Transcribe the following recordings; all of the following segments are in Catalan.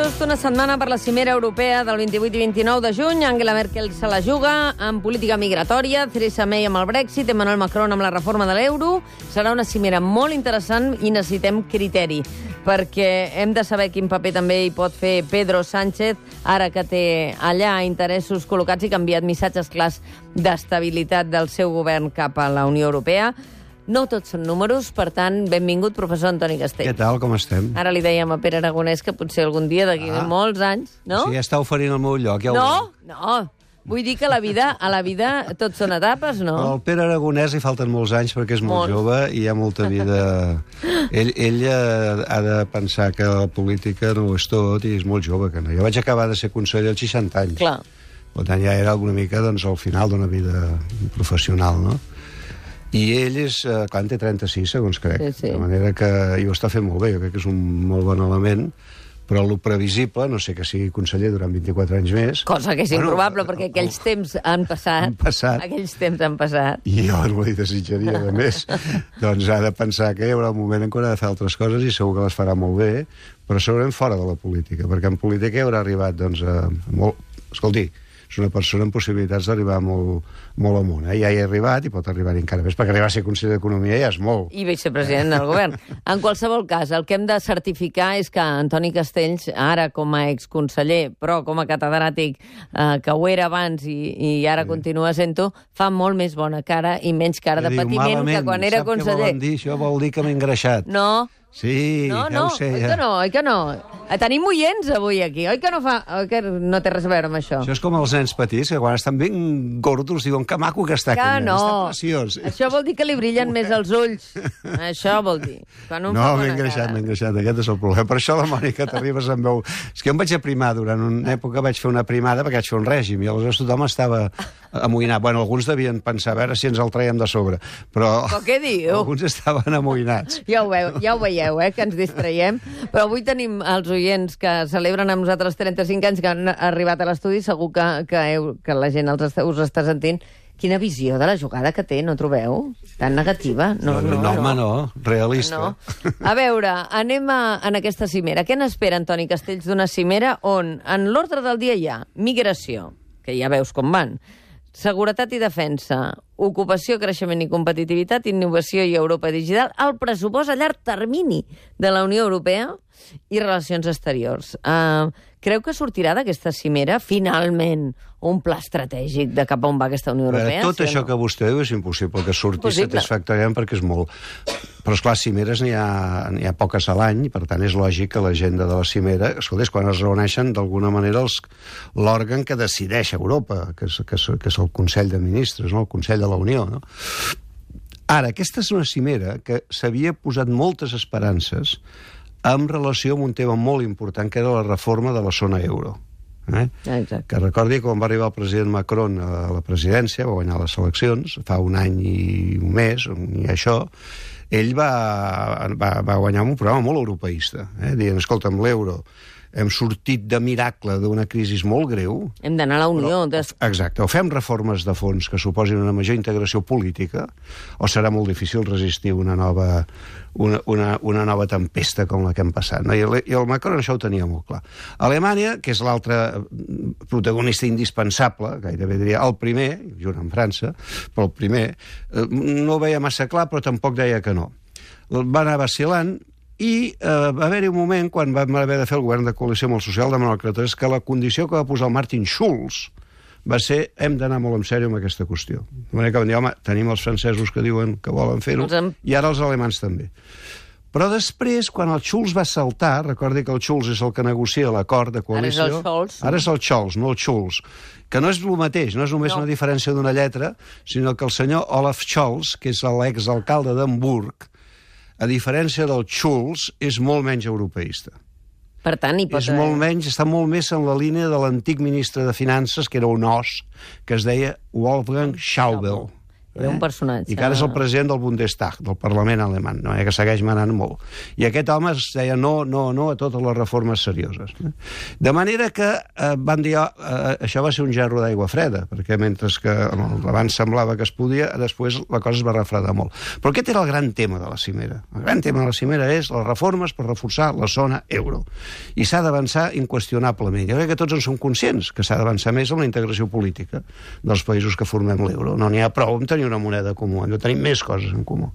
just una setmana per la cimera europea del 28 i 29 de juny. Angela Merkel se la juga en política migratòria, Theresa May amb el Brexit, Emmanuel Macron amb la reforma de l'euro. Serà una cimera molt interessant i necessitem criteri, perquè hem de saber quin paper també hi pot fer Pedro Sánchez, ara que té allà interessos col·locats i que ha enviat missatges clars d'estabilitat del seu govern cap a la Unió Europea. No tots són números, per tant, benvingut, professor Antoni Castells. Què tal, com estem? Ara li dèiem a Pere Aragonès que potser algun dia, d'aquí molts anys, no? O sigui, ja està oferint el meu lloc. Ja No. Vull dir que a la vida tot són etapes, no? Al Pere Aragonès li falten molts anys perquè és molt jove i hi ha molta vida. Ell ha de pensar que la política no ho és tot i és molt jove. Que no. Jo vaig acabar de ser conseller als 60 anys. Clar. Per tant, ja era una mica al final d'una vida professional, no? I ell és, clar, en té 36, segons crec. Sí. De manera que ho està fent molt bé, jo crec que és un molt bon element, però el previsible, no sé que sigui conseller durant 24 anys més... Cosa que és improbable, perquè aquells temps han passat. Aquells temps han passat. I jo no li desitjaria de més. Doncs ha de pensar que hi haurà un moment en què haurà de fer altres coses i segur que les farà molt bé, però segurament fora de la política, perquè en política hi haurà arribat, doncs, molt... Escolti, és una persona amb possibilitats d'arribar molt amunt. Ja hi ha arribat i pot arribar encara més, perquè arribar a ser conseller d'Economia ja és molt. I vicepresident del govern. En qualsevol cas, el que hem de certificar és que Antoni Castells, ara com a exconseller, però com a catedràtic, que ho era abans i ara continua sent-ho, fa molt més bona cara i menys cara de patiment que quan era conseller. Sap què volen dir? Això vol dir que m'he engreixat. No. Sí, ja ho sé. Oi que no? Tenim oients avui aquí, oi que no té res a veure amb això? Això és com els nens petits, que quan estan ben gordos diuen que maco que està aquest nen, està preciós. Això vol dir que li brillen més els ulls. Això vol dir. No, m'he engreixat, aquest és el problema. Per això la Mònica t'arribes amb veu... És que jo em vaig aprimar durant una època, vaig fer una primada perquè vaig fer un règim i aleshores tothom estava amoïnat. Bueno, alguns devien pensar a veure si ens el traiem de sobre, però què diu? Alguns estaven amoïnats. Ja ho veieu, que ens distraiem. Però avui tenim els oients que celebren amb nosaltres 35 anys que han arribat a l'estudi. Segur que la gent us està sentint. Quina visió de la jugada que té, no trobeu? Tan negativa? No, realista. No. A veure, anem en aquesta cimera. Què n'espera Antoni Castells d'una cimera on en l'ordre del dia hi ha migració, que ja veus com van, seguretat i defensa, ocupació, creixement i competitivitat, innovació i Europa digital, el pressupost a llarg termini de la Unió Europea i relacions exteriors. Creu que sortirà d'aquesta cimera, finalment, un pla estratègic de cap a on va aquesta Unió Europea? Tot això que vostè diu és impossible que surti satisfactòriament perquè és molt... Però, esclar, cimeres n'hi ha poques a l'any, i per tant és lògic que l'agenda de la cimera... Escolta, és quan es reuneixen d'alguna manera l'òrgan que decideix Europa, que és el Consell de Ministres, no? El Consell de la Unió, no? Ara, aquesta és una cimera que s'havia posat moltes esperances en relació amb un tema molt important, que era la reforma de la zona euro. Que recordi que quan va arribar el president Macron a la presidència, va guanyar les eleccions, fa un any i un mes, i això, ell va guanyar un programa molt europeista, dient, escolta, amb l'euro hem sortit de miracle d'una crisi molt greu. Hem d'anar a la Unió. Exacte. O fem reformes de fons que suposin una major integració política, o serà molt difícil resistir una nova tempesta com la que hem passat. I el Macron això ho tenia molt clar. Alemanya, que és l'altre protagonista indispensable, gairebé diria el primer, junt amb França, però el primer, no ho veia massa clar, però tampoc deia que no. Va anar vacil·lant, i va haver-hi un moment quan vam haver de fer el govern de coalició amb el socialdemòcrata que la condició que va posar el Martin Schulz va ser hem d'anar molt en sèrio amb aquesta qüestió. De manera que van dir, home, tenim els francesos que diuen que volen fer-ho i ara els alemans també. Però després, quan el Schulz va saltar, recordi que el Schulz és el que negocia l'acord de coalició... Ara és el Scholz, no el Schulz. Que no és el mateix, no és només una diferència d'una lletra, sinó que el senyor Olaf Scholz, que és l'exalcalde d'Hamburg, a diferència del Schulz, és molt menys europeista. Per tant, està molt més en la línia de l'antic ministre de Finances, que era un os, que es deia Wolfgang Schäuble. Era un personatge. I que ara és el president del Bundestag, del Parlament alemany, no? Que segueix manant molt. I aquest home es deia no a totes les reformes serioses. De manera que van dir això va ser un gerro d'aigua freda, perquè mentre que abans semblava que es podia, després la cosa es va refredar molt. Però aquest era el gran tema de la cimera. El gran tema de la cimera és les reformes per reforçar la zona euro. I s'ha d'avançar inqüestionablement. Jo crec que tots en som conscients que s'ha d'avançar més en la integració política dels països que formem l'euro. No n'hi ha prou amb tenir una moneda comú, hem de tenir més coses en comú.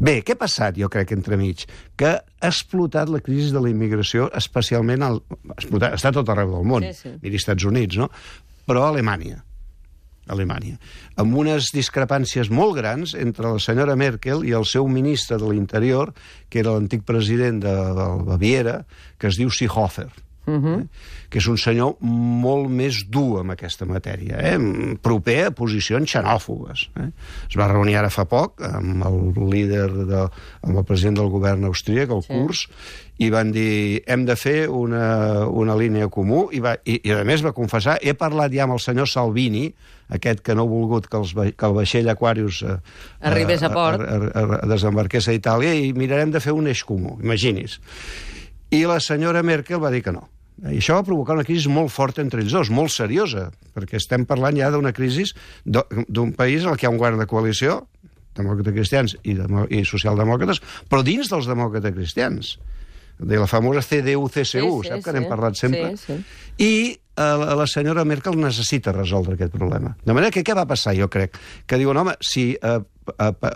Bé, què ha passat, jo crec, entremig? Que ha explotat la crisi de la immigració, especialment està a tot arreu del món, miri Estats Units, no? Però a Alemanya, amb unes discrepàncies molt grans entre la senyora Merkel i el seu ministre de l'Interior, que era l'antic president de Baviera, que es diu Seehofer. Que és un senyor molt més dur en aquesta matèria, proper a posicions xenòfobes. Es va reunir ara fa poc amb el president del govern austríac, el Kurz, i van dir, hem de fer una línia comú, i a més va confessar, he parlat ja amb el senyor Salvini, aquest que no ha volgut que el vaixell Aquarius arribés a port, desembarqués a Itàlia, i mirarem de fer un eix comú, imagini's. I la senyora Merkel va dir que no. I això va provocar una crisi molt forta entre ells dos, molt seriosa, perquè estem parlant ja d'una crisi d'un país en què hi ha un govern de coalició, demòcrates cristians i socialdemòcrates, però dins dels demòcrates cristians, de la famosa CDU-CSU, sap que n'hem parlat sempre? I la senyora Merkel necessita resoldre aquest problema. De manera que què va passar, jo crec? Que diuen, home, si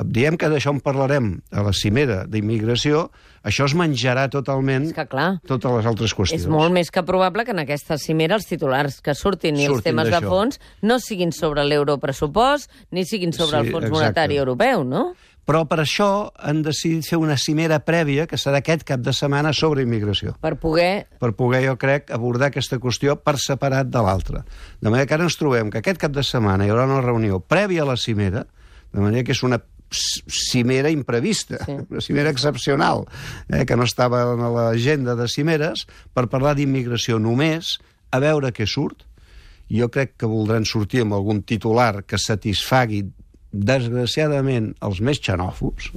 diem que d'això en parlarem a la cimera d'immigració, això es menjarà totalment totes les altres qüestions. És molt més que probable que en aquesta cimera els titulars que surtin i els temes de fons no siguin sobre l'europressupost ni siguin sobre el Fons Monetari Europeu, no? Però per això han decidit fer una cimera prèvia, que serà aquest cap de setmana, sobre immigració. Per poder, jo crec, abordar aquesta qüestió per separat de l'altra. De manera que ara ens trobem que aquest cap de setmana hi haurà una reunió prèvia a la cimera, de manera que és una cimera imprevista, una cimera excepcional, que no estava en l'agenda de cimeres, per parlar d'immigració només, a veure què surt. Jo crec que voldran sortir amb algun titular que satisfagui desgraciadament els més xenòfobs,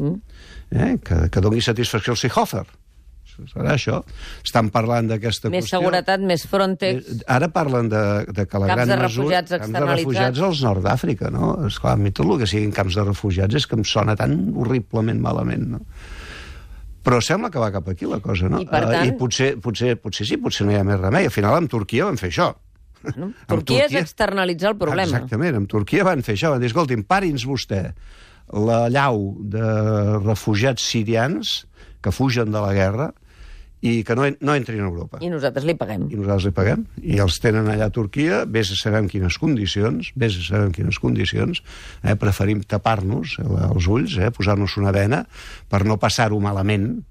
que doni satisfacció al Seehofer. Serà això. Estan parlant d'aquesta qüestió. Més seguretat, més Frontex. Ara parlen de que la gran mesura... Camps de refugiats al nord d'Àfrica, no? Esclar, a mi tot el que siguin camps de refugiats és que em sona tan horriblement malament, no? Però sembla que va cap aquí la cosa, no? I per tant... I potser sí, potser no hi ha més remei. Al final amb Turquia van fer això. Bueno, Turquia és externalitzar el problema. Exactament, amb Turquia van fer això, van dir, escolti'm, pari'ns vostè la llau de refugiats sirians que fugen de la guerra i que no entrin a Europa. I nosaltres li paguem. I els tenen allà a Turquia, vés a saber en quines condicions, preferim tapar-nos els ulls, posar-nos una vena per no passar-ho malament,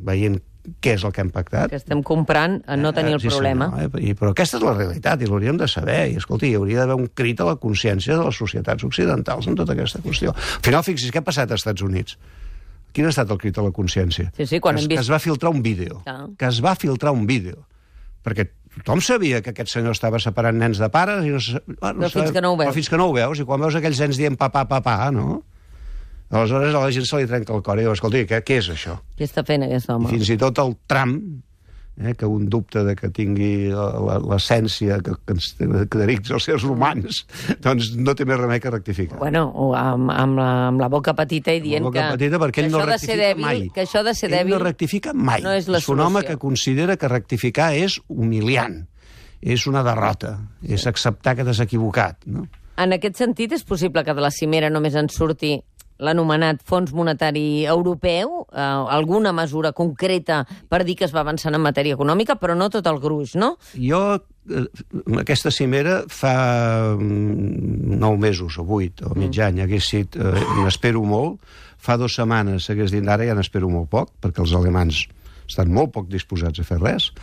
veient què és el que hem pactat. Que estem comprant a no tenir el problema. Però aquesta és la realitat, i l'hauríem de saber. I, escolti, hi hauria d'haver un crit a la consciència de les societats occidentals en tota aquesta qüestió. Al final, fixi's, què ha passat als Estats Units? Quin ha estat el crit a la consciència? Quan hem vist... Que es va filtrar un vídeo. Perquè tothom sabia que aquest senyor estava separant nens de pares i però fins que no ho veus. Però fins que no ho veus, i quan veus aquells nens dient papà, no? Aleshores a la gent se li trenca el cor i diu, escolti, què és això? Què està fent aquest home? I fins i tot el Trump, que un dubte de que tingui l'essència que caracteritza els éssers humans, doncs no té més remei que rectificar. Bueno, amb la boca petita i dient que això de ser dèbil, que això de ser dèbil no rectifica mai. No és la solució. És un home que considera que rectificar és humiliant, és una derrota, és acceptar que t'has equivocat, no? En aquest sentit, és possible que de la cimera només en surti l'anomenat Fons Monetari Europeu, alguna mesura concreta per dir que es va avançant en matèria econòmica, però no tot el gruix, no? Jo, aquesta cimera fa 9 mesos o 8 o mig any, n'espero molt. Fa 2 setmanes hagués dit, ara ja n'espero molt poc, perquè els alemans estan molt poc disposats a fer res.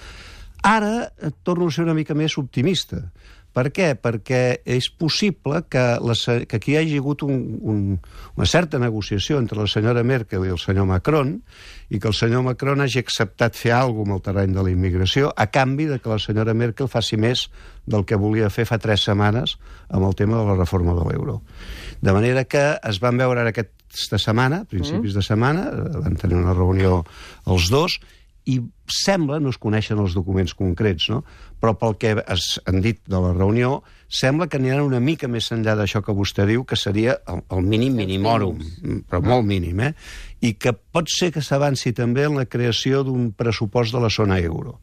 Ara torno a ser una mica més optimista, Per què? Perquè és possible que aquí hi hagi hagut una certa negociació entre la senyora Merkel i el senyor Macron i que el senyor Macron hagi acceptat fer alguna cosa amb el terreny de la immigració a canvi de que la senyora Merkel faci més del que volia fer fa 3 setmanes amb el tema de la reforma de l'euro. De manera que es van veure aquesta setmana, principis de setmana, van tenir una reunió els dos, i sembla, no es coneixen els documents concrets, no? Però pel que han dit de la reunió, sembla que aniran una mica més enllà d'això que vostè diu, que seria el mínim minimòrum, però molt mínim, i que pot ser que s'avanci també en la creació d'un pressupost de la zona euro,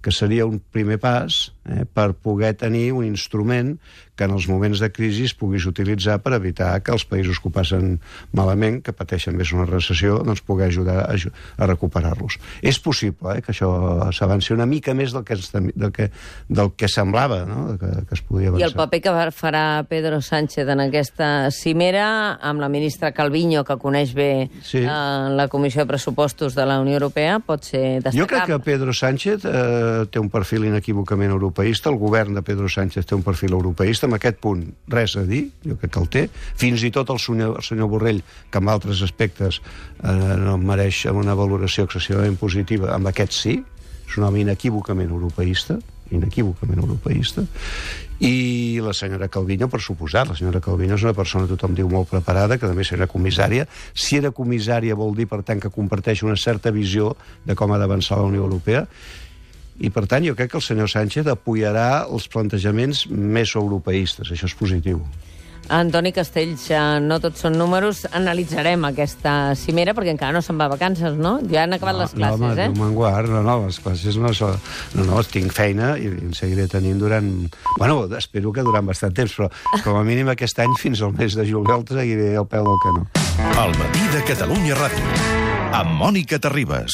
que seria un primer pas per poder tenir un instrument que en els moments de crisi es puguis utilitzar per evitar que els països que ho passen malament, que pateixen més una recessió, doncs poder ajudar a recuperar-los. És possible que això s'avanci una mica més del que semblava, no? que es podia avançar. I el paper que farà Pedro Sánchez en aquesta cimera, amb la ministra Calviño, que coneix bé la Comissió de Pressupostos de la Unió Europea, pot ser destacable. Jo crec que Pedro Sánchez té un perfil inequívocament europeista, el govern de Pedro Sánchez té un perfil europeista, en aquest punt res a dir, jo crec que el té, fins i tot el senyor Borrell, que en altres aspectes no mereix una valoració excessivament positiva, amb aquest sí, és un home inequívocament europeista, i la senyora Calviño, per suposat, la senyora Calviño és una persona, tothom diu, molt preparada, que també serà comissària. Si era comissària vol dir, per tant, que comparteix una certa visió de com ha d'avançar la Unió Europea, i per tant jo crec que el senyor Sánchez apoyarà els plantejaments més europeistes, això és positiu. Antoni Castells, no tots són números, analitzarem aquesta cimera, perquè encara no se'n va a vacances, no? Ja han acabat les classes, no, home, Déu me'n guard, les classes no, tinc feina i en seguiré tenint durant... Bueno, espero que durant bastant temps, però com a mínim aquest any fins al mes de juliol seguiré al peu del canó. El matí de Catalunya Ràdio, amb Mònica Terribas.